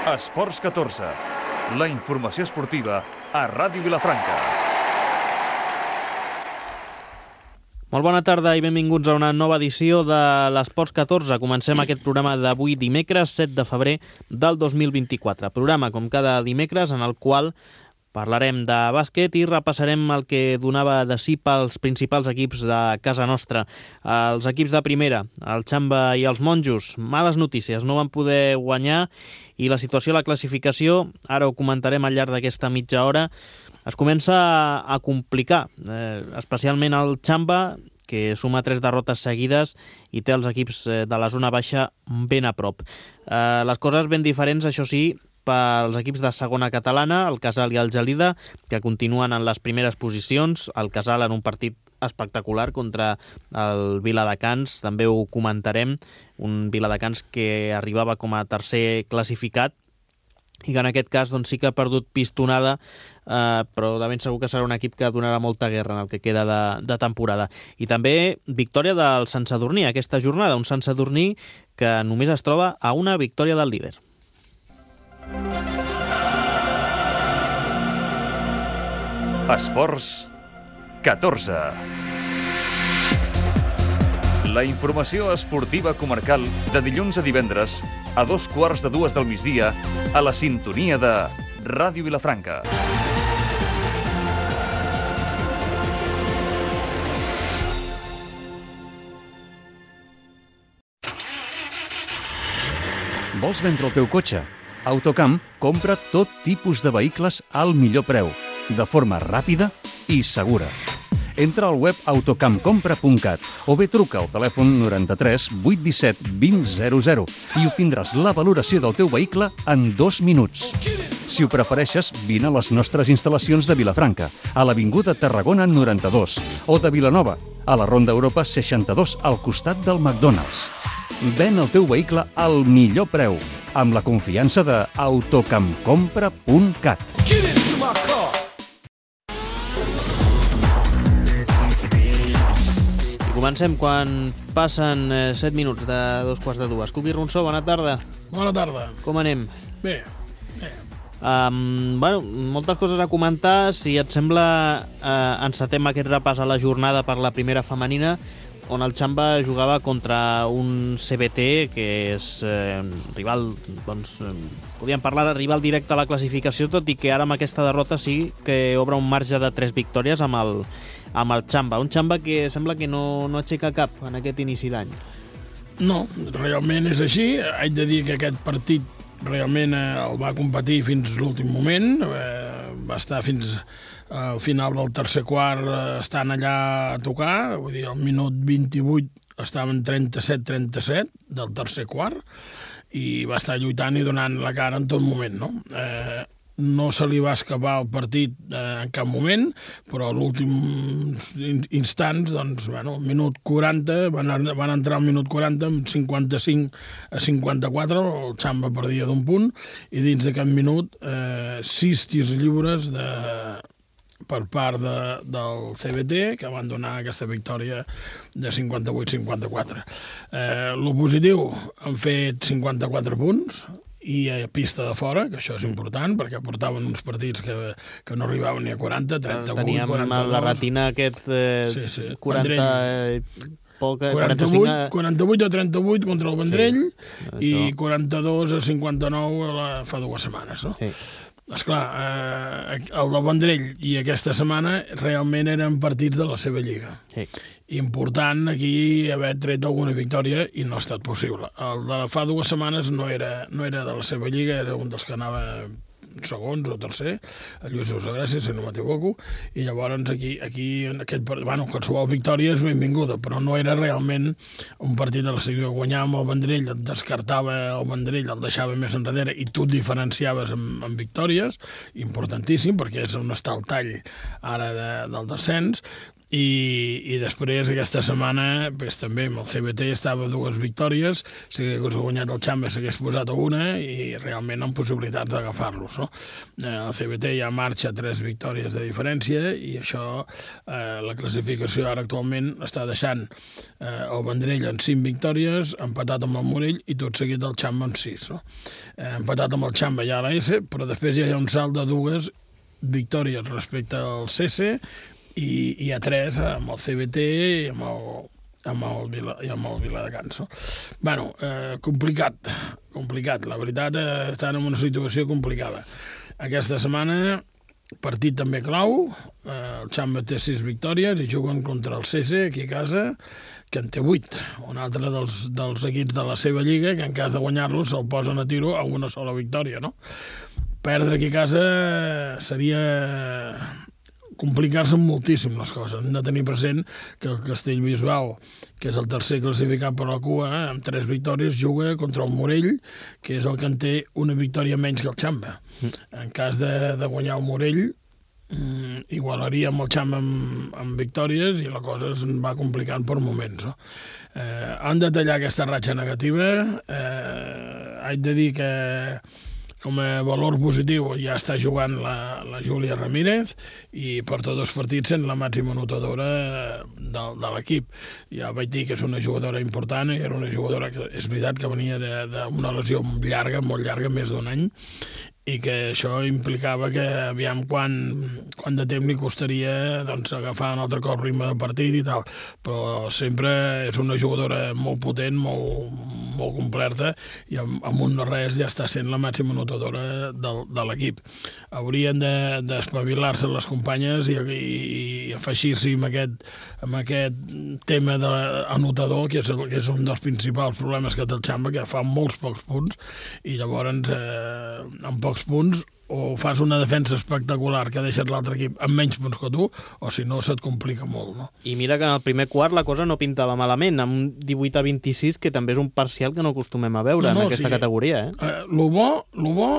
Esports 14, la informació esportiva a Ràdio Vilafranca. Molt bona tarda i benvinguts a una nova edició de l'Esports 14. Comencem aquest programa d'avui dimecres 7 de febrer del 2024. Programa, com cada dimecres, en el qual parlarem de bàsquet i repassarem el que donava de si pels principals equips de casa nostra. Els equips de primera, el Xamba i els Monjos, males notícies, no van poder guanyar i la situació a la classificació, ara ho comentarem al llarg d'aquesta mitja hora, es comença a complicar, especialment el Xamba, que suma 3 derrotes seguides i té els equips de la zona baixa ben a prop. Les coses ben diferents, això sí, pels equips de segona catalana, el Casal i el Gelida, que continuen en les primeres posicions, el Casal en un partit espectacular contra el Viladecans, també ho comentarem, un Viladecans que arribava com a tercer classificat i que en aquest cas doncs, sí que ha perdut pistonada, però de ben segur que serà un equip que donarà molta guerra en el que queda de temporada. I també victòria del Sant Sadurní aquesta jornada, un Sant Sadurní que només es troba a una victòria del líder. Esports 14. La informació esportiva comarcal de dilluns a divendres a 2:15 del migdia a la sintonia de Ràdio Vilafranca. Vols vendre el teu cotxe? Autocamp compra tot tipus de vehicles al millor preu, de forma ràpida i segura. Entra al web autocampcompra.cat o bé truca al telèfon 93 817 2000 i obtindràs la valoració del teu vehicle en 2 minuts. Si ho prefereixes, vine a les nostres instal·lacions de Vilafranca, a l'Avinguda Tarragona 92, o de Vilanova, a la Ronda Europa 62, al costat del McDonald's. Ven el teu vehicle al millor preu, amb la confiança de autocampcompra.cat. I comencem quan passen 7 minuts de 2:15. Cubi Ronsó, bona tarda. Bona tarda. Com anem? Bé. Moltes coses a comentar. Si et sembla, encetem aquest repàs a la jornada per la primera femenina, on el Xamba jugava contra un CBT que és rival, doncs, podríem parlar de rival directe a la classificació, tot i que ara amb aquesta derrota sí que obre un marge de 3 victòries amb el Xamba. Un Xamba que sembla que no aixeca cap en aquest inici d'any. No, realment és així. Haig de dir que aquest partit realment el va competir fins l'últim moment, va estar fins al final del tercer quart estan allà a tocar, vull dir, al minut 28 estaven 37-37 del tercer quart i va estar lluitant i donant la cara en tot moment, no? No se li va escapar el partit en cap moment, però a l'últim instants, doncs, bueno, minut 40, van entrar al minut 40 amb 55-54, el Xamba perdia d'un punt, i dins d'aquest minut 6 tirs lliures per part del CBT, que van donar aquesta victòria de 58-54. Lo positiu, han fet 54 punts, i a pista de fora, que això és important, perquè portaven uns partits que no arribaven ni a 40, 38, teníem 42... Teníem la retina aquest 40... 48 a 38 contra el Vendrell, i 42 a 59 fa 2 setmanes, no? Sí. Esclar, el del Vendrell i aquesta setmana realment eren partits de la seva lliga. Sí. Important aquí haver tret alguna victòria i no ha estat possible. El de fa 2 setmanes no era de la seva lliga, era un dels que anava segons o tercer, el Lluís Gràcia, si no m'equivoco, i llavors aquí qualsevol victòria és benvinguda, però no era realment un partit de la seva. Guanyar amb el Vendrell, et descartava el Vendrell, el deixava més enrere i tu et diferenciaves amb victòries, importantíssim, perquè és on està el tall ara del descens, i després aquesta setmana pues, també amb el CBT estava 2 victòries, si hagués guanyat el Xamba s'hagués posat a 1 i realment amb possibilitats d'agafar-los, no? El CBT ja marxa 3 victòries de diferència i això, la classificació ara actualment està deixant el Vendrell en 5 victòries, empatat amb el Morell i tot seguit el Xamba amb 6, no? Empatat amb el Xamba ja a l'AS, però després ja hi ha un salt de 2 victòries respecte al CC i a 3 amb el CBT i amb el Viladecans. No? Bueno, complicat. La veritat, estan en una situació complicada. Aquesta setmana, partit també clau, el Xamba té 6 victòries i juguen contra el CC aquí a casa, que en té 8. Un altre dels equips de la seva lliga, que en cas de guanyar-lo se'l posen a tiro a una sola victòria. No? Perdre aquí a casa seria complicar-se moltíssim les coses. Hem de tenir present que el Castellbisbal, que és el tercer classificat per la cua, amb 3 victòries, juga contra el Morell, que és el que en té una victòria menys que el Xamba. En cas de guanyar el Morell, igualaria amb el Xamba amb victòries i la cosa es va complicant per moments. No? Han de tallar aquesta ratxa negativa. Haig de dir que com a valor positiu ja està jugant la Júlia Ramírez i porta 2 partits sent la màxima anotadora de l'equip. Ja vaig dir que és una jugadora important i era una jugadora que és veritat que venia d'una lesió llarga, molt llarga, més d'un any, i que això implicava que aviam quant de temps li costaria doncs, agafar un altre cop ritme de partit i tal, però sempre és una jugadora molt potent, molt completa i amb un no res ja està sent la màxima anotadora de l'equip. Haurien d'espavilar-se les companyes i afegir-s'hi amb aquest tema de l'anotador, que és un dels principals problemes que té el Xamba, que fa molts pocs punts i llavors amb pocs punts o fas una defensa espectacular que deixes l'altre equip amb menys punts que tu, o si no se't complica molt. No? I mira que en el primer quart la cosa no pintava malament, amb un 18-26, que també és un parcial que no acostumem a veure en aquesta categoria. Lo bo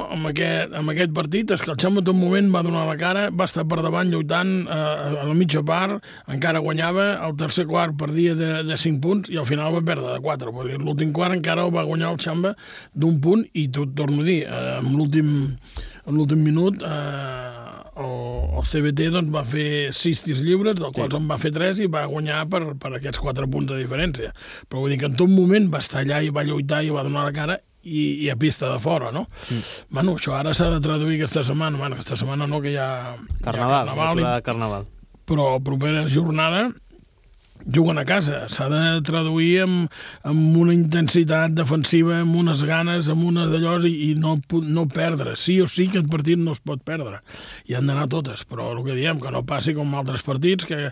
amb aquest partit és que el Xamba en tot moment va donar la cara, va estar per davant lluitant a la mitja part, encara guanyava, el tercer quart perdia de 5 punts i al final va perdre de 4. L'últim quart encara el va guanyar el Xamba d'un punt i t'ho torno a dir, amb l'últim minut el CBT doncs, va fer 6 tirs lliures, del qual en va fer 3 i va guanyar per aquests 4 punts de diferència. Però vull dir que en tot moment va estar allà i va lluitar i va donar la cara i a pista de fora, no? Bueno, això ara s'ha de traduir aquesta setmana. Bueno, aquesta setmana no, que hi ha Carnaval. Però propera jornada juguen a casa, s'ha de traduir amb una intensitat defensiva, amb unes ganes, amb unes d'allòs i no perdre. Sí o sí que el partit no es pot perdre. I han d'anar totes, però el que diem, que no passi com altres partits que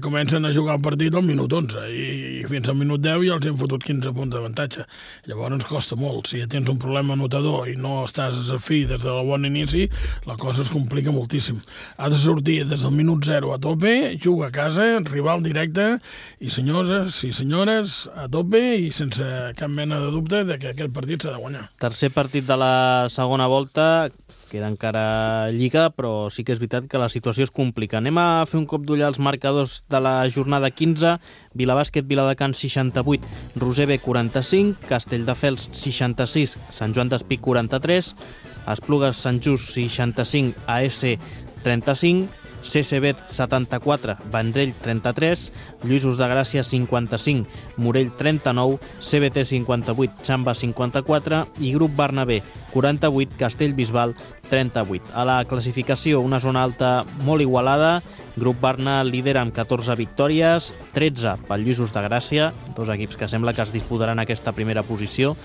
comencen a jugar el partit al minut 11 i fins al minut 10 ja els han fotut 15 punts d'avantatge. Llavors ens costa molt. Si ja tens un problema anotador i no estàs a fi des del bon inici, la cosa es complica moltíssim. Ha de sortir des del minut 0 a tope, juga a casa, rival directe, i senyors i senyores a tope i sense cap mena de dubte de que aquest partit s'ha de guanyar. Tercer partit de la segona volta, queda encara lliga, però sí que és veritat que la situació es complica. Anem a fer un cop d'ull als marcadors de la jornada 15. Vilabàsquet, Viladecans 68, Roser B 45, Castelldefels 66, Sant Joan d'Espí 43, Esplugues Sant Just 65, AS 35, CCB 74, Vendrell 33, Lluïsos de Gràcia 55, Morell 39, CBT 58, Xamba 54 i Grup Bernabé 48, Castellbisbal 38. A la classificació, una zona alta molt igualada. Grup Barna líder amb 14 victòries, 13 pel Lluïsos de Gràcia, 2 equips que sembla que es disputaran aquesta primera posició.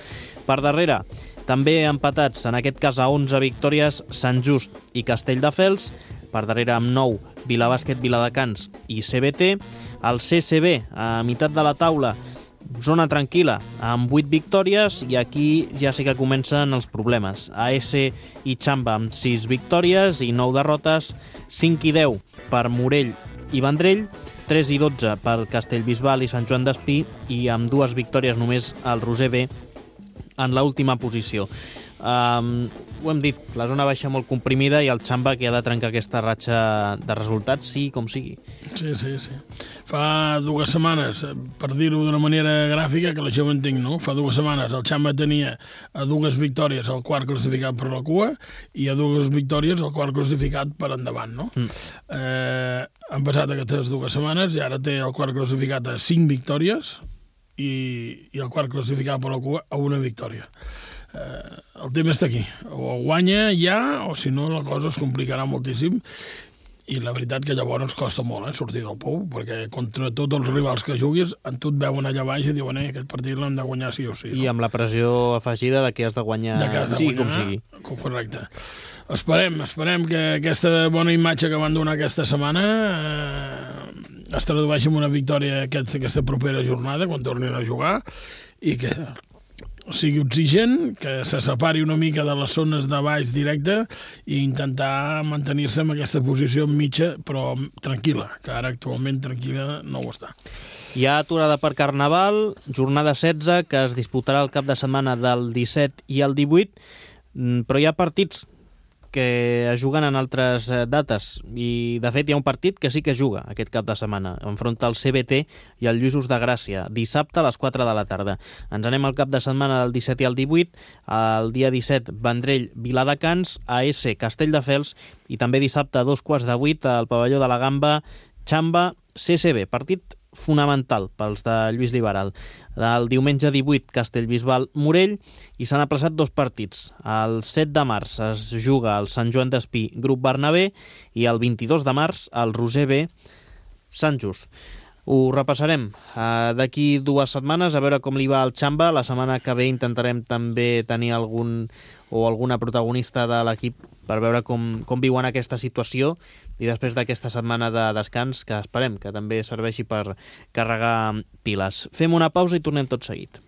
Per darrere, també empatats, en aquest cas a 11 victòries, Sant Just i Castelldefels. Per darrere amb 9, Vilabàsquet, Viladecans i CBT. El CCB, a meitat de la taula, zona tranquil·la, amb 8 victòries, i aquí ja sí que comencen els problemes. AS i Xamba amb 6 victòries i 9 derrotes, 5 i 10 per Morell i Vendrell, 3 i 12 per Castellbisbal i Sant Joan d'Espí, i amb 2 victòries només el Roser B en l'última posició. ho hem dit, la zona baixa molt comprimida i el Xamba que ha de trencar aquesta ratxa de resultats, sí com sigui. Sí. Fa 2 setmanes, per dir-ho d'una manera gràfica, que la gent ho entenc, no? Fa 2 setmanes el Xamba tenia a 2 victòries el quart classificat per la cua i a 2 victòries el quart classificat per endavant, no? Han passat aquestes 2 setmanes i ara té el quart classificat a 5 victòries i el quart classificat per la cua a 1 victòria. El tema està aquí, o guanya ja o si no la cosa es complicarà moltíssim i la veritat que llavors costa molt sortir del pou, perquè contra tots els rivals que juguis en tu et veuen allà baix i diuen aquest partit l'hem de guanyar sí o sí, no? I amb la pressió afegida de que has de guanyar, com sigui. Correcte. Esperem que aquesta bona imatge que van donar aquesta setmana es tradueixi en una victòria aquesta propera jornada quan tornin a jugar i que sigui oxigen, que se separi una mica de les zones de baix directe i intentar mantenir-se en aquesta posició mitja, però tranquil·la, que ara actualment tranquil·la no ho està. Hi ha aturada per Carnaval, jornada 16, que es disputarà el cap de setmana del 17 i el 18, però hi ha partits que es juguen en altres dates i de fet hi ha un partit que sí que es juga aquest cap de setmana, enfronta el CBT i el Lluïsos de Gràcia, dissabte a les 4 de la tarda. Ens anem al cap de setmana del 17 i el 18, el dia 17 Vendrell, Viladecans, AS Castelldefels i també dissabte a 7:15 al pavelló de la Gamba, Xamba, CCB, partit fonamental pels de Lluís Liberal. El diumenge 18, Castellbisbal, Morell, i s'han aplaçat 2 partits. El 7 de març es juga el Sant Joan d'Espí, Grup Bernabé, i el 22 de març el Roser B, Sant Just. Ho repassarem d'aquí 2 setmanes, a veure com li va al Xamba. La setmana que ve intentarem també tenir alguna protagonista de l'equip per veure com viuen aquesta situació i després d'aquesta setmana de descans que esperem que també serveixi per carregar piles. Fem una pausa i tornem tot seguit.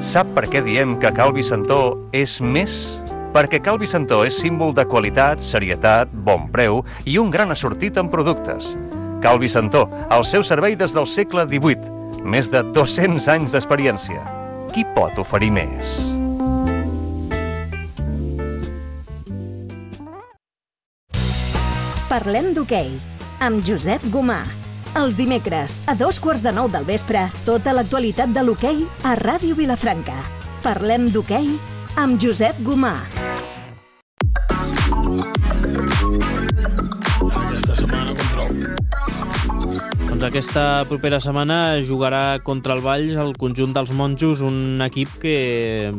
Sap per què diem que Cal Vicentó és més? Perquè Cal Vicentó és símbol de qualitat, serietat, bon preu i un gran assortit en productes. Cal Vicentó, al seu servei des del segle XVIII, més de 200 anys d'experiència. Qui pot oferir més? Parlem d'hoquei, amb Josep Gomà. Els dimecres, a 9:15 del vespre, tota l'actualitat de l'hoquei a Ràdio Vilafranca. Parlem d'hoquei amb Josep Gomà. Aquesta setmana contra Doncs aquesta propera setmana jugarà contra el Valls el conjunt dels monjos, un equip que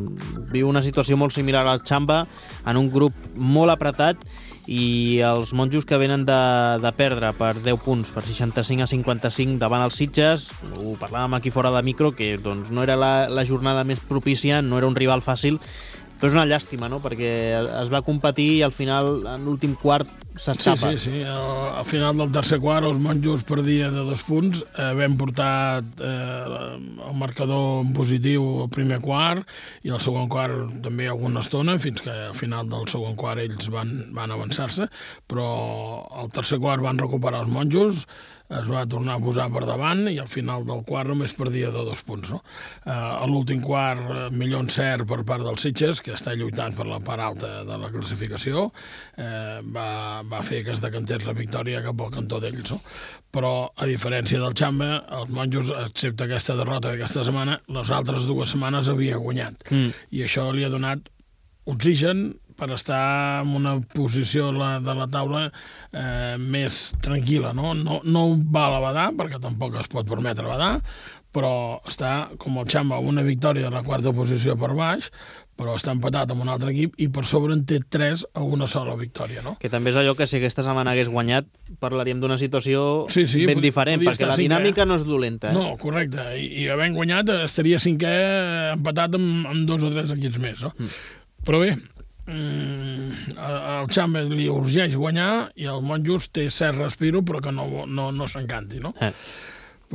viu una situació molt similar al Xamba, en un grup molt apretat, i els monjos que venen de perdre per 10 punts, per 65-55 davant els Sitges. Ho parlàvem aquí fora de micro, que doncs, no era la jornada més propícia, no era un rival fàcil, però és una llàstima, no? Perquè es va competir i al final, en l'últim quart, s'escapa. Sí. Al final del tercer quart, els monjos perdia de 2 punts. Vam portar el marcador en positiu al primer quart i al segon quart també alguna estona, fins que al final del segon quart ells van avançar-se, però al tercer quart van recuperar els monjos, es va tornar a posar per davant i al final del quart només perdia de 2 punts. No? A l'últim quart, millor encert per part dels Sitges, que està lluitant per la part alta de la classificació, va fer que es decantés la victòria cap al cantó d'ells. No? Però, a diferència del Xamba, els monjos, excepte aquesta derrota d'aquesta setmana, les altres 2 setmanes havia guanyat. I això li ha donat oxigen per estar en una posició de la taula més tranquil·la. No va a la badar, perquè tampoc es pot permetre badar, però està, com el Xamba, una victòria de la 4a posició per baix, però està empatat amb un altre equip i per sobre en té 3 a una sola victòria. No? Que també és allò que si aquesta setmana hagués guanyat parlaríem d'una situació ben diferent, perquè la dinàmica no és dolenta. No, correcte. I havent guanyat estaria 5è empatat amb 2 o 3 equips més. No? Però bé, el Xamba li urgeix guanyar i el Monjos té cert respiro però que no s'encanti, no?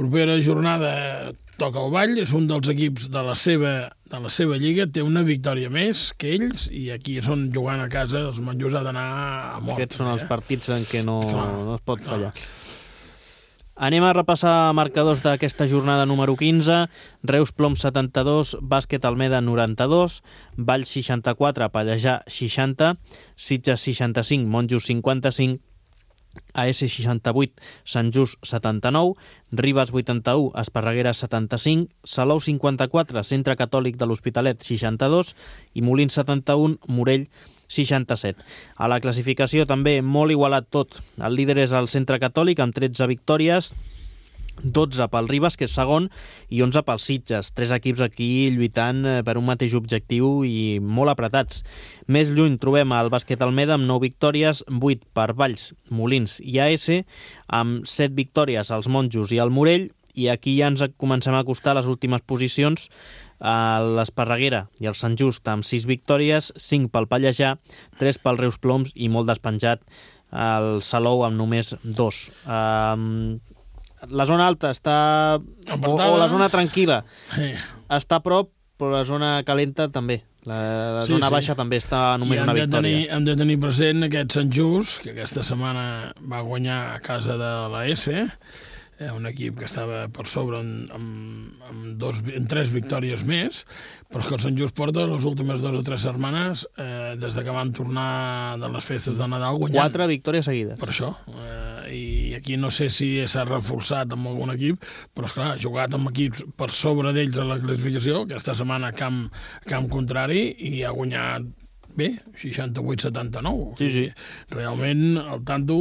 Propera jornada toca el Vall, és un dels equips de la seva lliga, té una victòria més que ells, i aquí és on jugant a casa els monjos ha d'anar a mort. Aquests són els partits en què no es pot fallar. Anem a repassar marcadors d'aquesta jornada número 15. Reus Plom 72, Bàsquet Almeda 92, Vall 64, Pallejà 60, Sitges 65, Monjos 55, AS 68, Sant Just 79, Ribes 81, Esparreguera 75, Salou 54, Centre Catòlic de l'Hospitalet 62 i Molins 71, Morell 67. A la classificació també molt igualat tot. El líder és el Centre Catòlic amb 13 victòries, 12 pel Ribes, que és segon, i 11 pels Sitges. 3 equips aquí lluitant per un mateix objectiu i molt apretats. Més lluny trobem el Bàsquet Almeda amb 9 victòries, 8 per Valls, Molins i AS, amb 7 victòries als Monjos i al Morell, i aquí ja ens comencem a acostar les últimes posicions a l'Esparreguera i el Sant Just amb 6 victòries, 5 pel Pallejà, 3 pel Reus Ploms i molt despenjat el Salou amb només 2. La zona alta està... o la zona tranquil·la està a prop, però la zona calenta també. La zona baixa també està només una victòria. Hem de tenir present aquest Sant Just, que aquesta setmana va guanyar a casa de l'AS, un equip que estava per sobre amb 3 victòries més, però que el Sant Just porta les últimes 2 o 3 setmanes, des de que van tornar de les festes de Nadal, guanyant. 4 victòries seguides. Per això. I aquí no sé si s'ha reforçat amb algun equip, però esclar, ha jugat amb equips per sobre d'ells a la classificació, aquesta setmana camp contrari, i ha guanyat bé, 68-79. Sí. Realment el tanto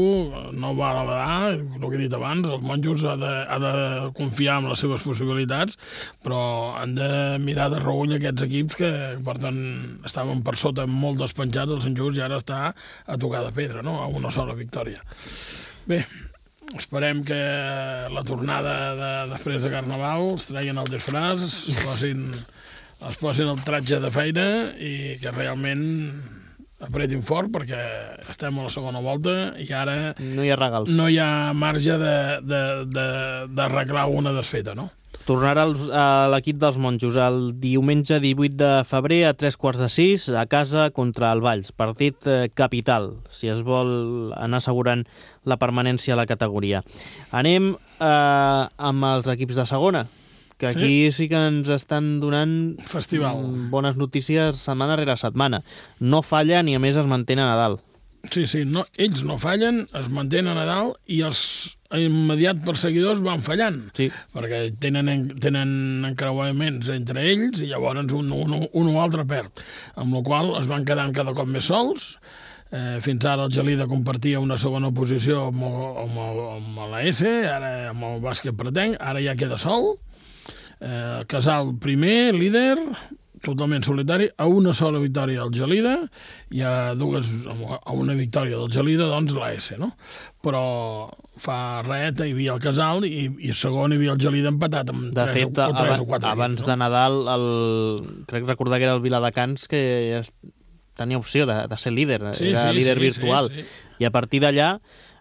no va a la badar, el que he dit abans, els monjos ha de confiar en les seves possibilitats, però han de mirar de reull aquests equips que, per tant, estaven per sota molt despenjats, el Sant Just, i ara està a tocar de pedra, no? A una sola victòria. Bé, esperem que la tornada després de Carnaval es treguin el disfraç, es posin el tratge de feina i que realment apretin fort, perquè estem a la segona volta i ara no hi ha regals. No hi ha marge d'arreglar una desfeta, no? Tornarà a l'equip dels monjos el diumenge 18 de febrer a 5:45 a casa contra el Valls. Partit capital, si es vol anar assegurant la permanència a la categoria. Anem amb els equips de segona, que aquí sí que ens estan donant festival, bones notícies setmana rere setmana. No fallen i a més es mantenen a dalt. Sí, ells no fallen, es mantenen a dalt i els immediats perseguidors van fallant, perquè tenen encreuaments entre ells i llavors un o altre perd, amb la qual es van quedant cada cop més sols. Fins ara el Gelida compartia una segona posició amb l'AS, ara amb el Bàsquet Pretenc, ara ja queda sol. Casal primer, líder, totalment solitari, a una sola victòria del Gelida i a una victòria del Gelida, doncs l'AS, no? Però fa res, hi havia el Casal i segon hi havia el Gelida empatat amb 3 o 4 abans de Nadal, crec recordar que era el Viladecans que tenia opció de ser líder, era líder virtual, i a partir d'allà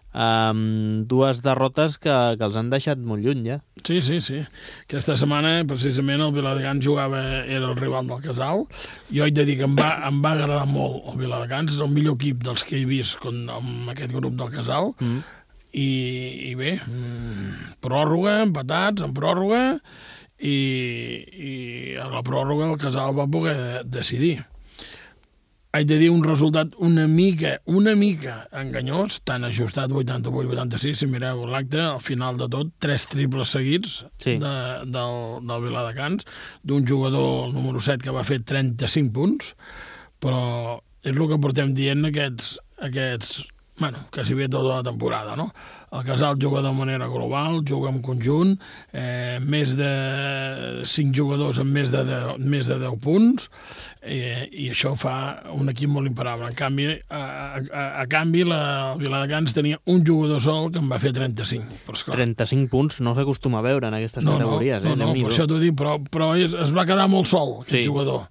dues derrotes que els han deixat molt lluny ja. Sí. Aquesta setmana precisament el Viladecans era el rival del Casal. Jo he de dir que em va agradar molt el Viladecans, és el millor equip dels que he vist amb aquest grup del Casal. I bé, pròrroga, empatats en pròrroga, i a la pròrroga el Casal va poder decidir. Haig de dir un resultat una mica enganyós, tan ajustat 88-86, si mireu l'acte, al final de tot, 3 triples seguits del Viladecans, d'un jugador, el número 7, que va fer 35 punts, però és el que portem dient aquests quasi bé tota la temporada, no? El Casal juga de manera global, juga en conjunt, més de 5 jugadors amb més de 10 punts, i això fa un equip molt imparable. En canvi, el Viladecans tenia un jugador sol que en va fer 35. 35 punts no s'acostuma a veure en aquestes categories. No, per això t'ho dic, però es va quedar molt sol, aquest jugador.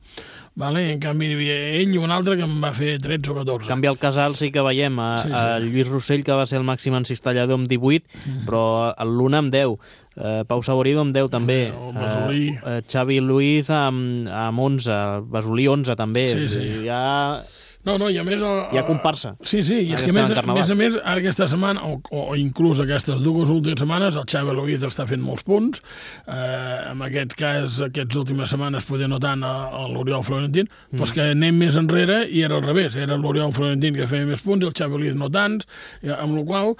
en canvi hi havia ell i un altre que em va fer 13 o 14. En canvi, al Casal sí que veiem a Lluís Rossell, que va ser el màxim encistellador amb 18, però el Luna amb 10, Pau Saborido amb 10 també, Xavi Luiz amb 11, Basolí 11 també, I a més... Hi ha comparsa. Sí, i a més, ara aquesta setmana, o inclús aquestes dues últimes setmanes, el Xavi Luiz està fent molts punts. En aquest cas, aquestes últimes setmanes poder no tant l'Oriol Florentín, però és que anem més enrere i era al revés. Era l'Oriol Florentín que feia més punts i el Xavi Luiz no tants, amb la qual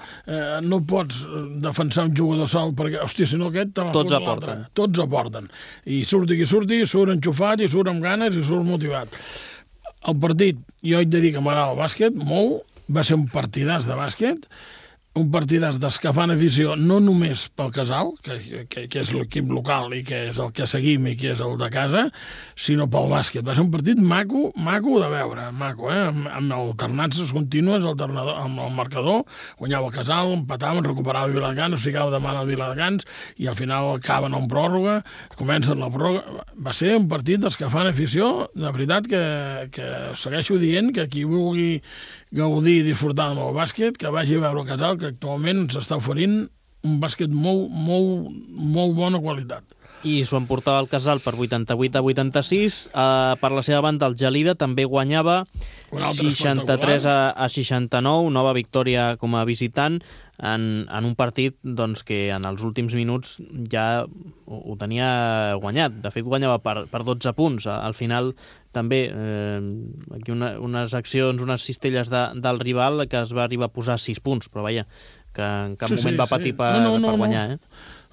no pots defensar un jugador sol perquè, hòstia, si no aquest te la tots aporten. Tots aporten. I surti qui surti, surt enxufat i surt amb ganes i surt motivat. El partit, jo haig de dir que m'agrada el bàsquet, molt, va ser un partidàs de bàsquet, un partidàs d'escafant afició, no només pel Casal, que és l'equip local i que és el que seguim i que és el de casa, sinó pel bàsquet. Va ser un partit maco de veure, amb alternances contínues, amb el marcador, guanyava el Casal, empataven, recuperava el Viladecans, es ficava de mà al Viladecans i al final acaben en pròrroga, comencen la pròrroga. Va ser un partit d'escafant afició, de veritat que segueixo dient que qui vulgui gaudir i disfrutar amb el bàsquet, que vagi a veure el Casal, que actualment s'està oferint un bàsquet molt bona qualitat. I s'ho emportava el Casal per 88-86. Per la seva banda, el Gelida també guanyava 63-69, nova victòria com a visitant, en un partit doncs, que en els últims minuts ja ho tenia guanyat. De fet, guanyava per 12 punts. Al final, també, aquí unes accions, unes cistelles del rival que es va arribar a posar 6 punts, però vaja, que en cap moment va patir per guanyar.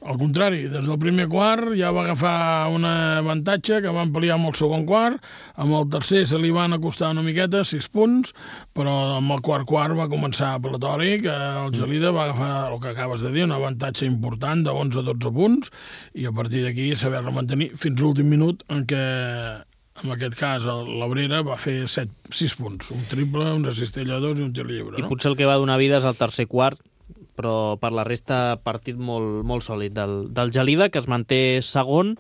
Al contrari, des del primer quart ja va agafar un avantatge que va ampliar amb el segon quart, amb el tercer se li van acostar una miqueta, 6 punts, però amb el quart va començar platòric, el Gelida va agafar el que acabes de dir, un avantatge important de 11-12 punts, i a partir d'aquí saber-lo mantenir fins l'últim minut en què, en aquest cas, l'Abrera va fer 6 punts, un triple, una cistella de 2 i un tir lliure. I potser el que va donar vida és el tercer quart, però per la resta partit molt sòlid del Gelida, que es manté segon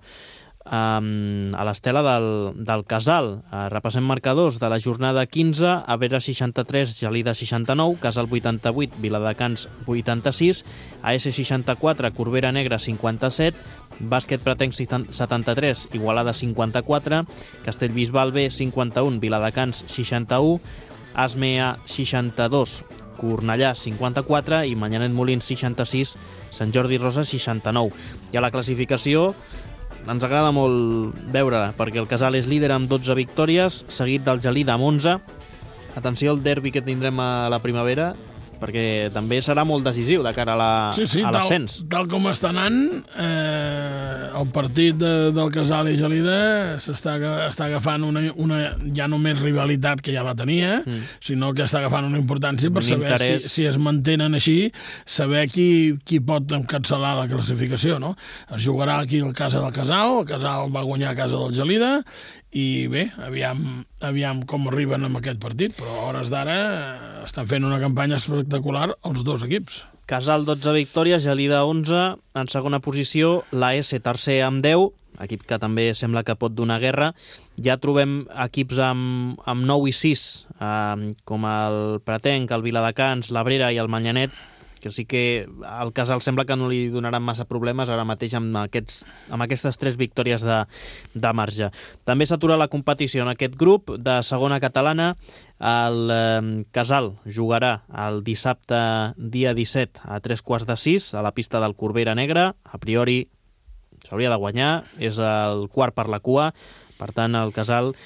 a l'estela del Casal. Repassem marcadors de la jornada 15, Abrera 63, Gelida 69, Casal 88, Viladecans 86, AS 64, Corbera Negra 57, Bàsquet Pretenc 73, Igualada 54, Castellbisbal B 51, Viladecans 61, Asmea 62, Cornellà 54 i Manyanet Molins 66, Sant Jordi Rosa 69. I a la classificació ens agrada molt veure-la, perquè el Casal és líder amb 12 victòries, seguit del Gelida amb 11. Atenció al derbi que tindrem a la primavera, perquè també serà molt decisiu de cara a l'ascens. Tal com està anant, el partit del Casal i Gelida està agafant una ja només rivalitat que ja la tenia, sinó que està agafant una importància per saber si es mantenen així, saber qui pot encapçalar la classificació, no? Es jugarà aquí a casa del Casal, el Casal va guanyar a casa del Gelida, i bé, aviam com arriben amb aquest partit, però a hores d'ara estan fent una campanya espectacular els dos equips. Casal 12 victòries, Gelida 11, en segona posició l'AS tercer amb 10, equip que també sembla que pot donar guerra. Ja trobem equips amb 9 i 6, com el Pretenc, el Viladecans, l'Abrera i el Manyanet, que sí que al Casal sembla que no li donaran massa problemes ara mateix amb aquestes 3 victòries de marge. També s'atura la competició en aquest grup de segona catalana. El Casal jugarà el dissabte dia 17 a 3:15 a la pista del Corbera Negra. A priori s'hauria de guanyar, és el quart per la cua, per tant el Casal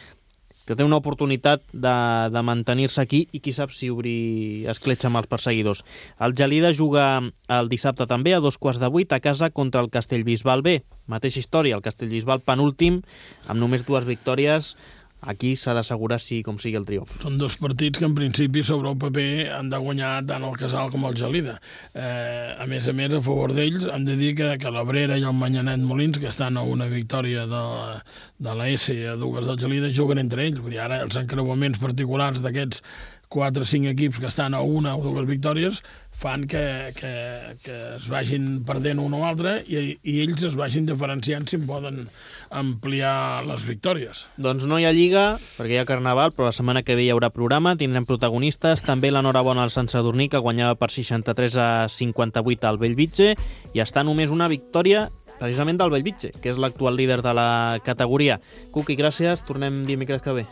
que té una oportunitat de mantenir-se aquí i qui sap si obrir escletxa amb els perseguidors. El Gelida juga el dissabte també a 7:15 a casa contra el Castellbisbal B. Mateixa història, el Castellbisbal penúltim, amb només 2 victòries. Aquí s'ha d'assegurar com sigui el triomf. Són 2 partits que en principi sobre el paper han de guanyar tant el Casal com el Gelida. A més, a favor d'ells hem de dir que l'Abrera i el Manyanet Molins, que estan a una victòria de l'AS i a 2 del Gelida, juguen entre ells. Vull dir, ara els encreuaments particulars d'aquests 4 o 5 equips que estan a 1 o 2 victòries fan que es vagin perdent un o altre i ells es vagin diferenciant si poden ampliar les victòries. Doncs no hi ha Lliga, perquè hi ha Carnaval, però la setmana que ve hi haurà programa, tindrem protagonistes, també l'enhorabona al Sant Sadurní, que guanyava per 63-58 al Bellvitge, i està només una victòria precisament del Bellvitge, que és l'actual líder de la categoria. Cuqui, gràcies, tornem dimecres que ve.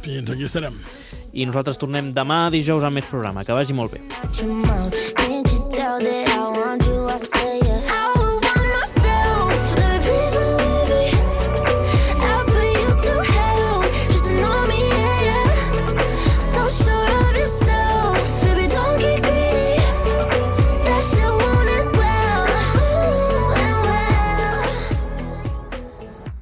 Fins aquí estarem. I nosaltres tornem demà dijous amb més programa. Que vagi molt bé.